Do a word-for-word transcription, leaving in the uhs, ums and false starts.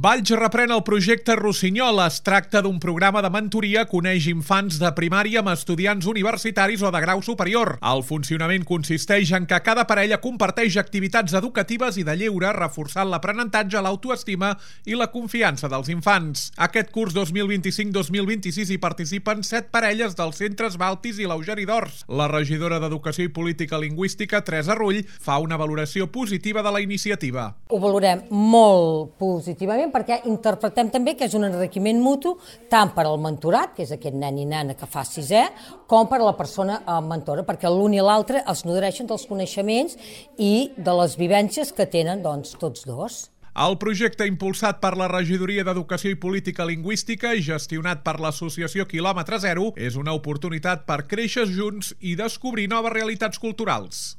Valls reprèn el projecte Rossinyol. Es tracta d'un programa de mentoria que uneix infants de primària amb estudiants universitaris o de grau superior. El funcionament consisteix en que cada parella comparteix activitats educatives i de lleure, reforçant l'aprenentatge, l'autoestima i la confiança dels infants. Aquest curs dos mil vint-i-cinc dos mil vint-i-sis hi participen set parelles dels centres Baltis i l'Eugeni d'Ors. La regidora d'Educació i Política Lingüística, Teresa Rull, fa una valoració positiva de la iniciativa. Ho valorem molt positivament perquè interpretem també que és un enriquiment mutu tant per al mentorat, que és aquest nen i nena que fa sisè, com per a la persona mentora, perquè l'un i l'altre es nodreixen dels coneixements i de les vivències que tenen doncs, tots dos. El projecte, impulsat per la Regidoria d'Educació i Política Lingüística i gestionat per l'associació Quilòmetre Zero, és una oportunitat per créixer junts i descobrir noves realitats culturals.